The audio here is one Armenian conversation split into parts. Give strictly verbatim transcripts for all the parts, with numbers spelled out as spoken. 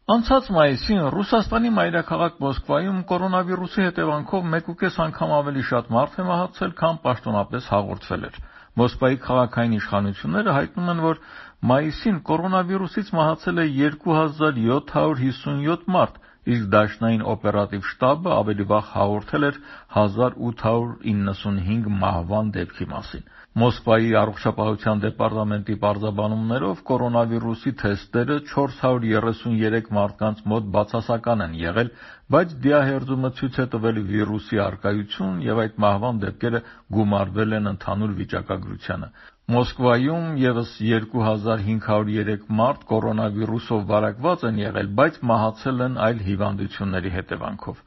Անցած մայիսին Ռուսաստանի մայրաքաղաք Մոսկվայում կորոնավիրուսի հետևանքով մեկուկես անգամ ավելի շատ մարդ է մահացել, քան պաշտոնապես հաղորդվել էր։ Մոսկվայի քաղաքային իշխանությունները հայտնում են, որ մայիսին կորոնավիրուսից մահացել է երկու հազար յոթ հարյուր հիսունյոթ մարդ, իսկ Դաշնային օպերատիվ շտաբը ավելի վաղ հաղորդել էր հազար ութ հարյուր իննսունհինգ մահվան դեպքի մասին։ Մոսկվայի առողջապահության դեպարտամենտի պարզաբանումներով կորոնավիրուսի թեստերը չորս հարյուր երեսունյերեք մարդկանց մոտ բացասական են եղել, բայց դիահերձումը ցույց է տվել վիրուսի առկայություն եւ այդ մահվան դեպքերը գումարվել են ընդհանուր վիճակագրությանը։ Մոսկվայում եւս երկու հազար հինգ հարյուր երեք մարդ կորոնավիրուսով վարակված են եղել, բայց մահացել են այլ հիվանդությունների հետևանքով։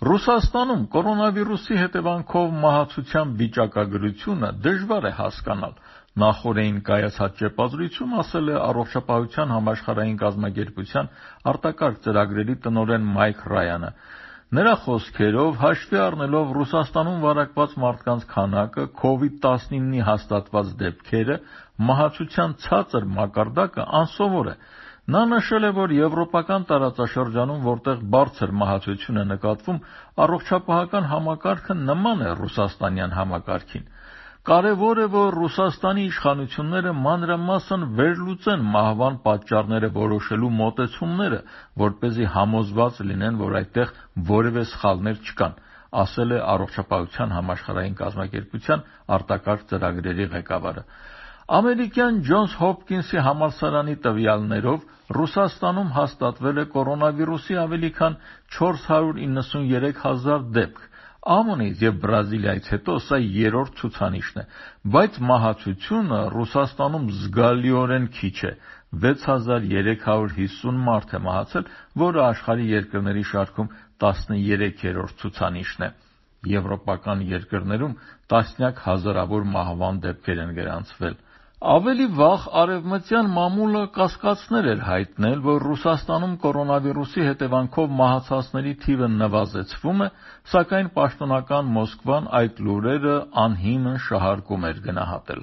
Ռուսաստանում կորոնավիրուսի հետևանքով մահացության վիճակագրությունը դժվար է հասկանալ։ Նախօրեին կայացած ճեպազրույցում ասել է Առողջապահության համաշխարհային կազմակերպության արտակարգ ծրագրերի տնօրեն Մայք Ռայանը։ Նրա խոսքերով, հաշվի առնելով Ռուսաստանում վարակված մարդկանց քանակը, քովիդ տասնիննի հաստատված դեպքերը, մահացության ցածր մակարդակը անսովոր է։ Նա նշել է, որ եվրոպական տարածաշրջանում, որտեղ բարձր մահացություն է նկատվում, առողջապահական համակարգը նման է ռուսաստանյան համակարգին։ Կարևոր է, որ Ռուսաստանի իշխանությունները մանրամասն վերլուծեն մահվան պատճառները որոշելու մոտեցումները, որպեսզի համոզված լինեն, որ այդտեղ որևէ սխալներ չկան, ասել է Առողջապահության համաշխարհային կազմակերպության արտակարգ ծրագրերի ղեկավարը։ Ամերիկյան Ջոնս Հոփքինսի համալսարանի տվյալներով Ռուսաստանում հաստատվել է կորոնավիրուսի ավելի քան չորս հարյուր իննսունյերեք հազար դեպք։ ԱՄՆ-ից եւ Բրազիլիայից հետո սա երրորդ ցուցանիշն է, բայց մահացությունը Ռուսաստանում զգալիորեն քիչ է։ վեց հազար երեք հարյուր հիսուն մարդ է մահացել, որը աշխարհի երկրների շարքում տասներեքերորդ ցուցանիշն է։ Եվրոպական երկրներում տասնյակ հազարավոր մահվան դեպքեր են գրանցվել։ Ավելի վաղ արևմտյան մամուլը կասկածներ էր հայտնել, որ Ռուսաստանում կորոնավիրուսի հետևանքով մահացածների թիվը նվազեցվում է, սակայն պաշտոնական Մոսկվան այդ լուրերը անհիմն շահարկում էր գնահատել։